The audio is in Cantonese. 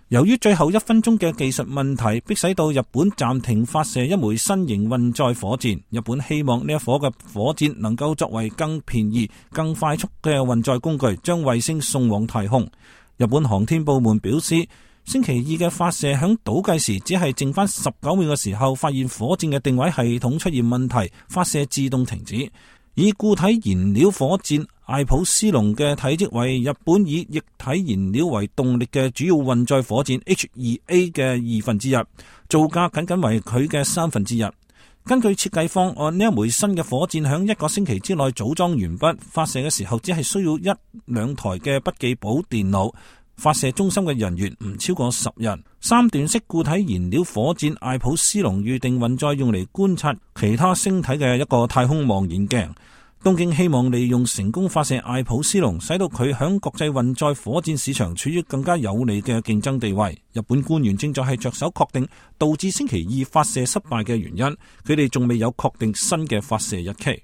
由於最後1分鐘嘅技術問題，迫使到日本暫停發射一枚新型運載火箭。日本希望呢一顆嘅火箭能夠作為更便宜、更快速嘅運載工具，將衛星送往太空。日本航天部門表示，星期二嘅發射響倒計時只係剩翻19秒嘅時候，發現火箭嘅定位系統出現問題，發射自動停止。以固體燃料火箭艾普斯龍嘅體積為日本以液體燃料為動力嘅主要運載火箭 H2A 嘅1/2，造價僅僅為佢嘅1/3。根據設計方案，呢一枚新嘅火箭響1個星期之內組裝完畢，發射嘅時候只係需要1-2台嘅筆記簿電腦。發射中心嘅人員唔超過10人。3段式固體燃料火箭艾普斯龍預定運載用嚟觀察其他星體嘅一個太空望遠鏡。東京希望利用成功發射艾普斯龍，使到佢響國際運載火箭市場處於更加有利嘅競爭地位。日本官員正在係着手確定導致星期二發射失敗嘅原因，佢哋仲未有確定新嘅發射日期。